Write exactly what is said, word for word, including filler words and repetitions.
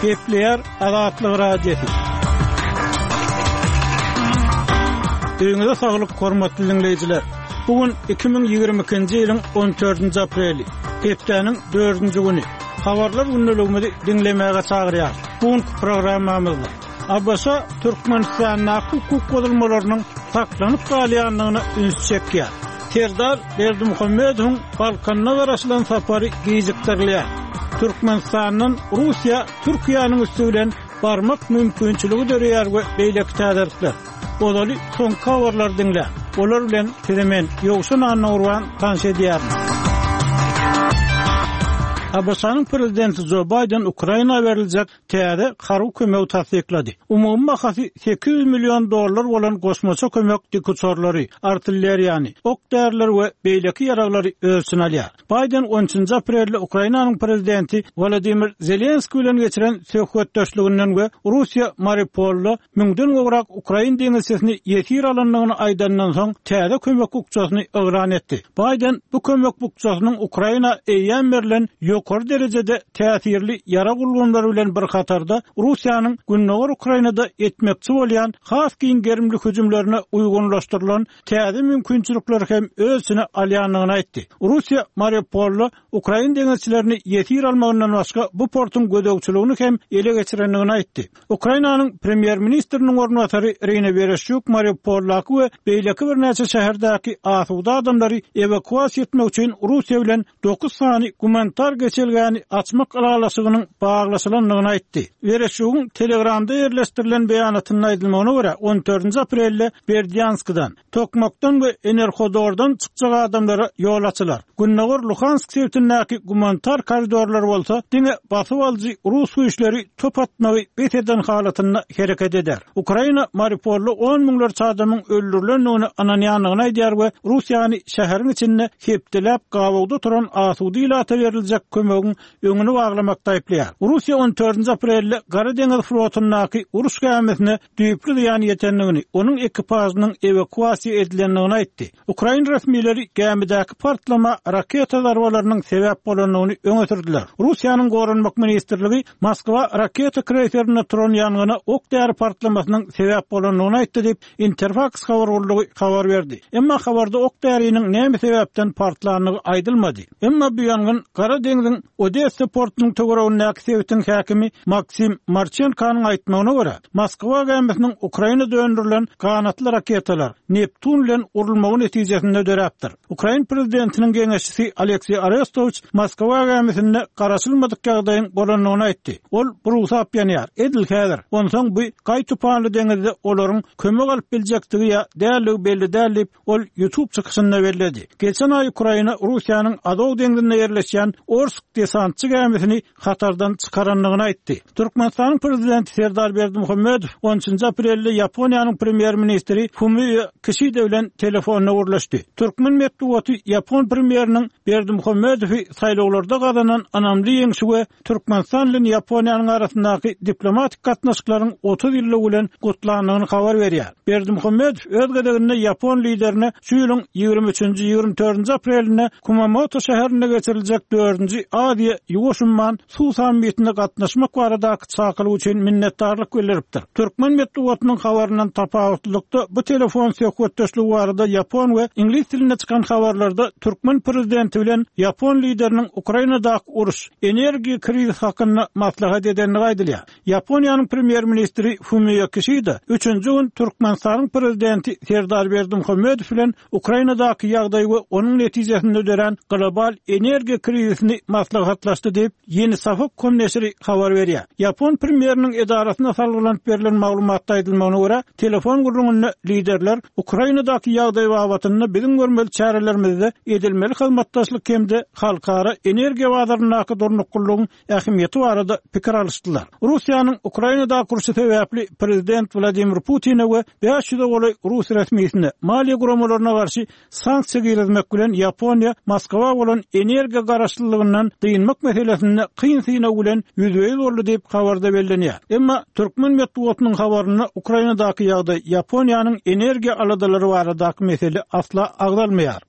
Gepleýär Azatlyk Radiosy. Öýüňize saglyk, hormatly diňleýjiler. Bu gün iki müň ýigrimi ikinji ýylyň on dördünji apreli, hepdäniň dördünji güni. Habarlar gündeligimizi diňlemäge çagyrýarys. Bu günki programmamyzda A B Ş Türkmenistandaky hukuk bozulmalarynyň saklanyp galýandygyna üns çekýär. Serdar Berdimuhamedowyň Balkanda garaşylan sapary gijikdirilýär. Türkmenistandan Russiýa Türkiýäniň üsti bilen barmak mümkinçiligi döreýär we beýleki täzelikler. Ozaly soňky habarlary diňle. Olar bilen size men Ýowşan Annagurban tanyş edýärin. A B Ş-nyň prezidenti Joe Biden Ukraina beriljek täze harby kömegi tassyklady. Umumy bahasy sekiz ýüz million dollar bolan goşmaça kömek dikuçarlary, artilleriýany, ok därileri we beýleki ýaraglary öz içine alýar. Biden on üçünji aprelde Ukrainanyň prezidenti Volodymyr Zelenskiý bilen geçiren söhbetdeşliginden we Russiýa Mariupolda müňden gowrak ukrain deňizçisini ýesir alandygyny aýdandan soň täze kömek bukjasyny yglan etdi. Biden bu kömek bukjasynyň Ukraina eýýäm berlen ýokary derejede täsirli ýarag ulgamlary bilen bir hatarda Russiýanyň Gündogar Ukrainada etmekçi bolýan has giň gerimli hüjümlerine uýgunlaşdyrylan täze mümkinçilikleri hem öz içine alýandygyny aýtdy. Russiýa Mariupolda ukrain deňizçilerini ýesir almagyndan başga bu portuň gözegçiligini hem ele geçirendigini aýtdy. Ukrainanyň premýer-ministriniň orunbasary Irina Wereşçuk Mariupoldaky we beýleki birnäçe şäherdäki asuda adamlary ewakuasiýa etmek üçin Russiýa bilen dokuz sany gumanitar geçelgäni açmak ylalaşygynyň baglaşylandygyny aýtdy. Wereşçugyň Telegramda ýerleşdirilen beýanatynda aýdylmagyna görä on dördünji aprelde Berdyanskdan, Tokmakdan we Enerhodordan çykjak adamlara ýol açylar. Gündogar Luhansk sebitindäki gumanitar koridorlar bolsa diňe basyp alyjy Rus güýçleri top atmagy bes eden halatynda hereket eder. Ukraina Mariupolda on müňlerçe adamyň öldürilendigini ynanýandygyny aýdýar we Russiýany şäheriň içinde hepdeläp gabawda oturan asuda ilata beriljek kömegiň öňüni baglamakda aýyplaýar. Russiýa on dördünji aprelde Gara deňiz flotundaky uruş gämisine düýpli zyýan ýetendigini, onuň ekipažynyň ewakuasiýa edilendigini aýtdy. Ukrain resmileri gämidäki partlama raketa zarbalarynyň sebäp bolandygyny öňe sürdüler. Russiýanyň Goranmak ministrligi Moskwa raketa kreyserinde turan ýangyna ok däri partlamasynyň sebäp bolandygyny aýtdy diýip Interfax habar gullugy habar berdi. Emma habarda ok däriniň näme sebäpden partlandygy aýdylmady. Emma bu ýangyn Gara deňziň Odessa portunyň töweregindäki sebitiň häkimi Maksim Marçenkanyň aýtmagyna görä, Moskwa gämisiniň Ukrainada öndürilen ganatly raketalar Neptun bilen urulmagy netijesinde döräpdir. Ukrain prezidentiniň geňeşçisi Aleksey Arestowiç Moskwa gämisinde garaşylmadyk ýagdaýyň bolandygyny aýtdy. Ol burugsap ýanýar. Edil häzir. Onsoň bu gaý tupanly deňizde olaryň kömek alyp biljekdigi ýa dälligi belli däl diýip, ol YouTube çykyşynda belledi. Geçen aý Ukraina Russiýanyň Azow deňzinde ýerleşýän Orsk desantçy gämisini hatardan çykarandygyny aýtdy. Türkmenistanyň prezidenti Serdar Berdimuhamedow on üçünji aprelde Ýaponiýanyň premýer-ministri Fumio Kişida bilen telefonda gürleşdi. Türkmen metbugaty Ýapon premýeriniň Berdimuhamedowy saýlawlarda gazanan ynamly ýeňşi we Türkmenistan bilen Ýaponiýanyň arasyndaky diplomatik gatnaşyklaryň otuz ýyllygy bilen gutlandygyny habar berýär. Berdimuhamedow öz gezeginde Ýapon liderine şu ýylyň ýigrimi üçünji, ýigrimi dördünji aprelinde Kumamoto şäherinde geçiriljek dördünji Aziýa Ýuwaş Umman suw sammitine gatnaşmak baradaky çakylyk üçin minnetdarlyk bildiripdir. Türkmen metbugatynyň habaryndan tapawutlylykda bu telefon söhbetdeşligi barada Ýapon we iňlis dilinde çykan habarlarda türkmen prezidenti bilen Ýapon lideriniň Ukrainadaky uruş, energiýa krizi hakynda maslahat edendigi aýdylýar. Ýaponiýanyň premýer-ministri Fumio Kişida üçünji gün Türkmenistanyň prezidenti Serdar Berdimuhamedow bilen Ukrainadaky ýagdaý we onuň netijesinde dörän global energiýa krizisini maslahatlaşdy diýip Ýeni Şafak kom neşiri habar berýär. Ýapon premýeriniň edarasyna salgylanyp berlen maglumatda aýdylmagyna görä, telefon gürrüňinde liderler Ukrainadaky ýagdaý babatynda biziň görmeli çärelerimizde edilmeli hyzmatdaşlyk hem-de halkara energiýa bazaryndaky durnuklylygyň ähmiýeti barada pikir alyşdylar. Russiýanyň Ukrainadaky urşy sebäpli prezident Wladimir Putine we bäş ýüze golaý Rus resmisine maliýe guramalaryna garşy sanksiýa girizmek bilen Ýaponiýa Moskwa bolan energiýa garaşlylygyndan dynmak meselesinde kyn synag bilen ýüzbe-ýüz boldy diýip habarda bellenýär. Emma türkmen metbugatynyň habarynda Ukrainadaky ýagdaý Ýaponiýanyň energiýa aladalary baradaky mesele asla agzalmaýar.